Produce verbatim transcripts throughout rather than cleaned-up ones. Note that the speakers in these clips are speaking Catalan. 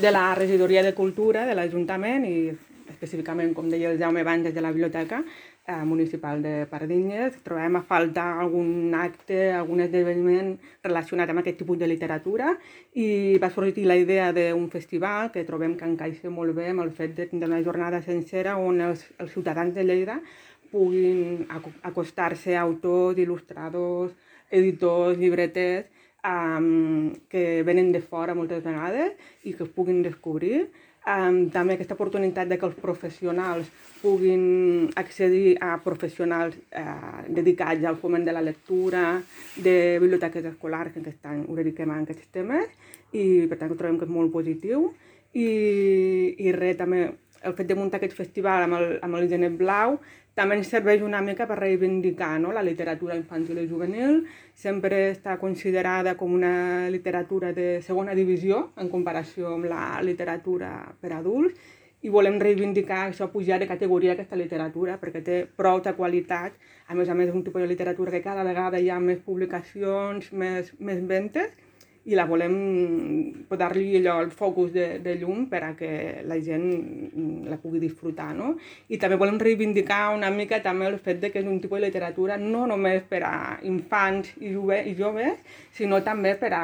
de la Regidoria de Cultura de l'Ajuntament i específicament, com deia el Jaume abans, des de la Biblioteca eh, Municipal de Pardines. Trobem a faltar algun acte, algun esdeveniment relacionat amb aquest tipus de literatura i va sorgir la idea d'un festival que trobem que encaixa molt bé amb el fet de tindre una jornada sencera on els, els ciutadans de Lleida puguin acostar-se a autors, il·lustradors, editors, llibreters, um, que venen de fora moltes vegades i que es puguin descobrir. Um, també aquesta oportunitat de que els professionals puguin accedir a professionals eh, dedicats al foment de la lectura, de biblioteques escolars, que aquest any ho dediquem a aquests temes, i per tant trobem que és molt positiu. I, i res, també el fet de muntar aquest festival amb el, amb el Genet Blau també ens serveix una mica per reivindicar, no?, la literatura infantil i juvenil. Sempre està considerada com una literatura de segona divisió en comparació amb la literatura per adults i volem reivindicar això, pujar de categoria aquesta literatura perquè té prou de qualitat. A més a més, és un tipus de literatura que cada vegada hi ha més publicacions, més, més ventes, i la volem posar-li allò el focus de, de llum per a que la gent la pugui disfrutar, no? I també volem reivindicar una mica també el fet de que és un tipus de literatura no només per a infants i, jove, i joves, sinó també per a,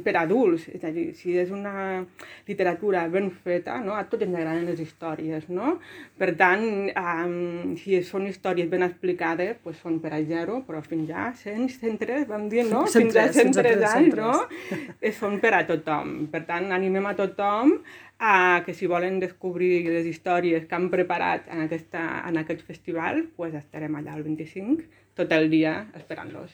per a adults. És a dir, si és una literatura ben feta, no?, a tots ens agraden les històries, no? Per tant, um, si són històries ben explicades, doncs són per a zero, però fins a cent, cent tres, vam dir, no? Fins a cent tres anys, no? Són per a tothom. Per tant, animem a tothom a que si volen descobrir les històries que han preparat en, aquesta, en aquest festival, pues estarem allà el vint-i-cinc tot el dia esperant-los.